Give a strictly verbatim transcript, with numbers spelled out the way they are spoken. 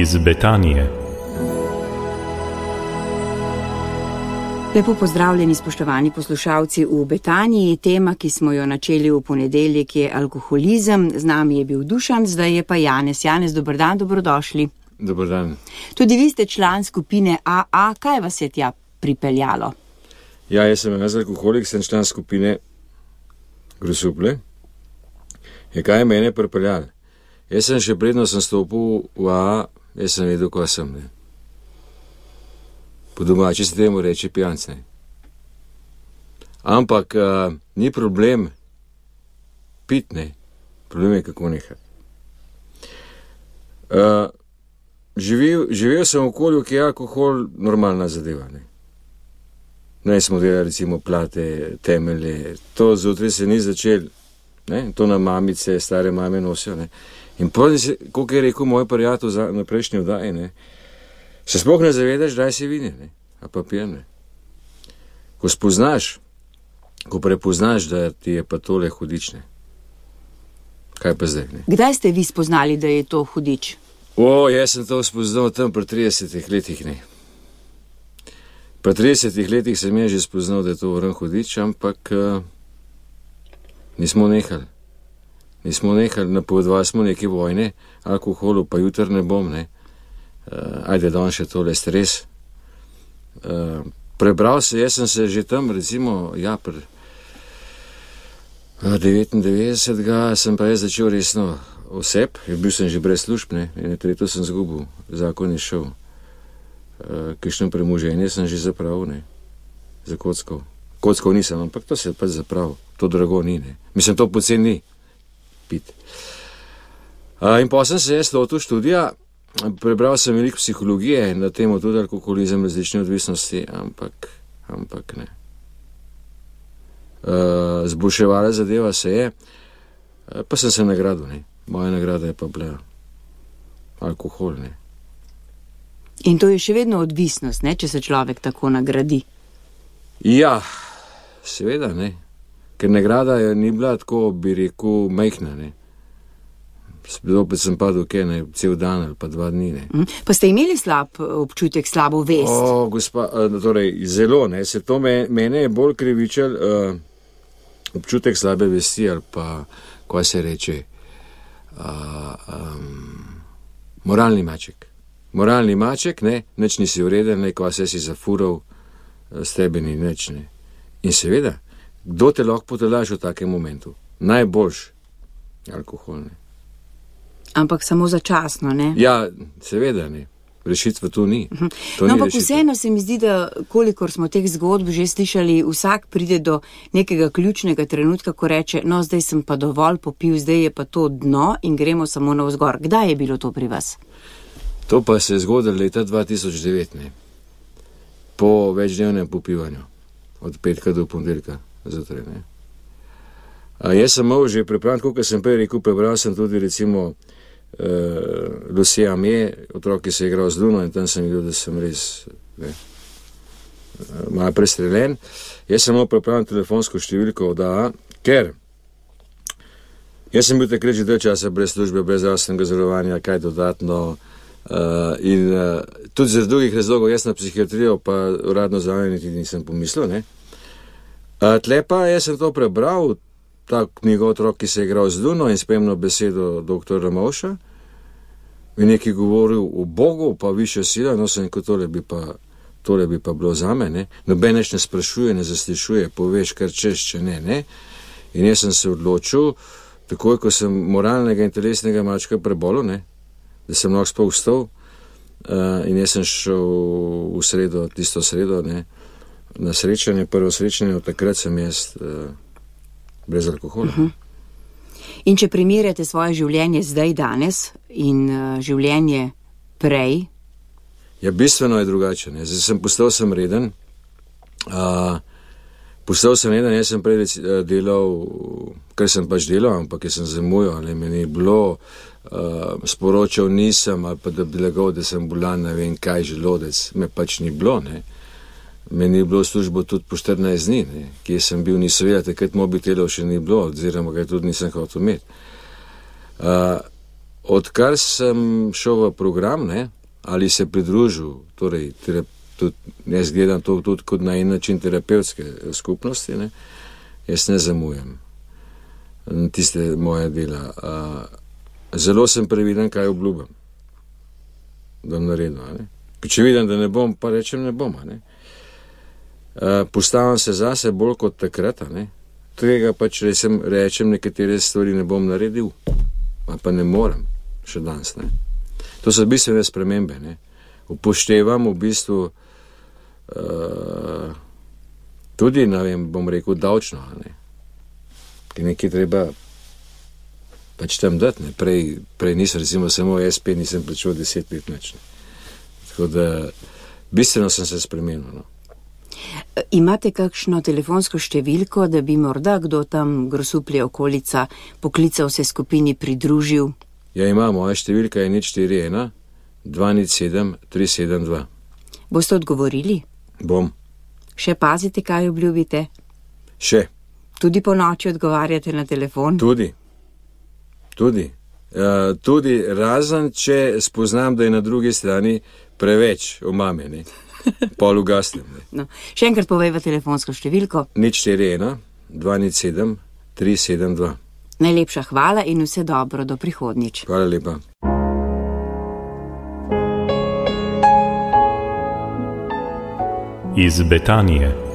iz Betanije. Lepo pozdravljeni, spoštovani poslušalci v Betaniji. Tema, ki smo jo načeli v ponedeljek, je alkoholizem. Z nami je bil Dušan, zdaj je pa Janez. Janez, dober dan, dobrodošli. Dober dan. Tudi vi ste član skupine A A. Kaj vas je tja pripeljalo? Ja, jaz sem jaz alkoholik, sem član skupine Grosuplje. Je kaj je mene pripeljalo? Jaz sem še predno sem stopil v A A, jaz sem vedel, ko sem. Ne. Po domači se temu reče pijanc. Ampak uh, ni problem pit, ne. Problem je, kako nehati. Uh, živel, živel sem v okolju, ki je alkohol normalna zadeva. Ne, ne smo delali recimo plate, temelje. To zjutraj se ni začel. Ne? To na mamice, stare mame nosijo. Ne? In potem se, kot je rekel moj prijatelj za, na prejšnji oddaji, ne? Se sploh ne zavedaš, daj si vini, ne? A pa pijem, ne? Ko spoznaš, ko prepoznaš, da ti je pa tole hudič, ne? Kaj pa zdaj, ne? Kdaj ste vi spoznali, da je to hudič? O, jaz sem to spoznal tam pri tridesetih letih, ne? Pri tridesetih letih sem je že spoznal, da je to vran hudič, ampak uh, nismo nehali. Nismo nehali, napovedovali smo neke vojne, alkoholu pa jutr ne bom, ne. Uh, ajde, da on še tole stres. Uh, prebral se, jaz sem se že tam, recimo, ja, pri uh, devetindevetdesetega sem pa jaz začel resno oseb, bil sem že brez služb, ne, in tretjo sem zgubil, zakon je šel. Uh, kakšno premoženje sem že zapravil, ne, za kockov. Kockov nisem, ampak to se je pač zapravil. To drago ni, ne. Mislim, to poceni ni pit. Uh, in pa sem se jaz lotil študija, prebral sem veliko psihologije na temo tudi alkoholizem, različne odvisnosti, ampak, ampak ne. Uh, zboljševala zadeva se je, uh, pa sem se nagradil, ne. Moja nagrada je pa bila alkohol, ne. In to je še vedno odvisnost, ne, če se človek tako nagradi? Ja, seveda, ne. Ker nagrada je ni bila tako, bi rekel, majhna, ne. Zopet sem padel kje, ne, cel dan ali pa dva dni, ne. Mm. Pa ste imeli slab občutek, slabo vest? O, gospa, torej, zelo, ne, se to me, mene je bolj krivičal uh, občutek slabe vesti ali pa, kaj se reče, uh, um, moralni maček. Moralni maček, ne, nič nisi vreden, ne, kaj se si zafural, s tebe ni nič, ne. In seveda, kdo te lahko potelaš v takem momentu? Najboljš alkohol, ne. Ampak samo začasno, ne? Ja, seveda, ne. Rešitva tu ni. To no, ni ampak vseeno se mi zdi, da kolikor smo teh zgodb že slišali, vsak pride do nekega ključnega trenutka, ko reče, no, zdaj sem pa dovolj popil, zdaj je pa to dno in gremo samo navzgor. Kdaj je bilo to pri vas? To pa se je zgodilo leta dva tisoč devet, ne. Po večdnevnem popivanju. Od petka do ponedeljka. Zjutraj, ne. A jaz sem imel že pripravljen, kot sem prej rekel, prebral sem tudi recimo uh, Lucia Mie, otrok, ki se je igral z Luno in tam sem videl, da sem res ne, uh, malo prestreljen. Jaz sem imel pripravljen telefonsko številko od A A, ker jaz sem bil takrat že del časa brez službe, brez zdravstvenega zavarovanja, kaj dodatno uh, in uh, tudi zaradi drugih razlogov, jaz na psihiatrijo pa uradno zraven niti nisem pomislil, ne. Uh, tle pa jaz sem to prebral, ta knjigo otrok, ki se je igral z Luno in spremno besedo doktor Ramovša, in nekaj govoril o Bogu, pa višja sila, no sem kot tole bi pa, tole bi pa bilo zame, ne. Noben neč ne sprašuje, ne zaslišuje, poveš kar češ, če ne, ne. In jaz sem se odločil, takoj, ko sem moralnega in telesnega mačka prebolel, ne, da sem lahko sploh vstal, uh, in jaz sem šel v sredo, tisto sredo, ne, na srečanje, prvo srečanje, od takrat sem jaz uh, brez alkohola. Uh-huh. In če primerjate svoje življenje zdaj danes in uh, življenje prej? Ja, bistveno je drugače, ne. Zdaj sem postal sem reden, uh, postal sem reden, jaz sem prej delal, kar sem pač delal, ampak jaz sem zamujal, ali me ni bilo, uh, sporočal nisem, ali pa da bi lagal, da sem bolan, ne vem kaj, želodec, me pač ni bilo, ne. Meni je bilo službo tudi po štirinajst dni, ne. Kje sem bil, niso vedel, takrat mobitelov še ni bilo, oziroma ga tudi nisem hotel imeti. Uh, odkar sem šel v program, ne, ali se pridružil, torej, tudi, jaz gledam to tudi kot na en način terapevtske skupnosti, ne, jaz ne zamujam tiste moje dela. Zelo sem previden, kaj obljubim, da bom naredil. Če vidim, da ne bom, pa rečem, ne bom. Ne. Postavim se zase bolj kot takrat, ne. Tega pač rečem, rečem, nekatere stvari ne bom naredil, pa ne morem še danes. Ne. To so bistvene spremembe. Ne. Upoštevam v bistvu uh, tudi, ne vem, bom rekel, davčno. Ne. Ki nekaj treba pač tam dati. Ne. Prej, prej nisem, recimo, samo S P, nisem plačal deset let več. Tako da bistveno sem se spremenil. No. Imate kakšno telefonsko številko, da bi morda kdo tam Grosuplje okolica poklical se skupini pridružil? Ja, ima, moja številka je nič štiri ena dva nič sedem tri sedem dva. Boste odgovorili? Bom. Še pazite, kaj obljubite? Še. Tudi po noči odgovarjate na telefon? Tudi. Tudi. Uh, tudi razen, če spoznam, da je na drugi strani preveč omamljeni. Pol ugasnem. No, še enkrat povejva telefonsko številko. nič štiri ena dva nič sedem tri sedem dva. Najlepša hvala in vse dobro do prihodnjič. Hvala lepa. Iz Betanije.